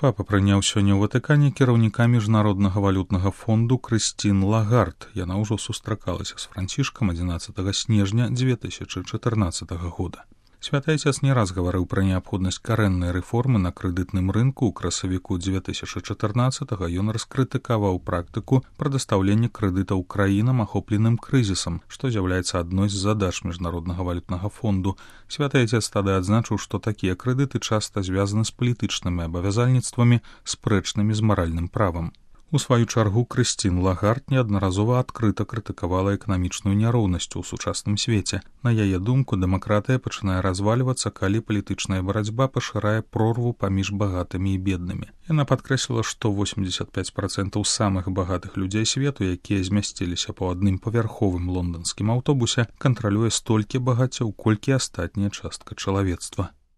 Папа прыняў сёння ў Ватыкане кіраўніка міжнароднага валютнага фонду Крыстін Лагард. Яна ўжо сустракалася з Францішкам 11 снежня 2014 года. Святы Отец не раз гаварыў пра неабходнасць карэннай рэформы на крэдытным рынку. У красавіку 2014-го ён раскрытыкаваў практыку прадастаўлення крэдытаў краінам, ахопленым крызісам, што з'яўляецца адной з задач міжнароднага валютнага фонду. Святы Отец тады адзначыў, што такія крэдыты часта звязаны з палітычнымі абавязальніцтвамі, спрэчнымі з маральным правам. У сваю чаргу Крыстін Лагард неаднаразова адкрыта крытыкавала эканамічную няроўнасць у сучасным свеце. На яе думку, дэмакратыя пачынае развальвацца, калі палітычная барацьба пашырае прорву паміж багатымі і беднымі. Яна падкрэсліла, што 85% самых багатых людзей свету, якія змясціліся па адным павярховым лонданскім аўтобусе, кантралюе столькі багаццяў, колькі астатняя частка чалавецтва.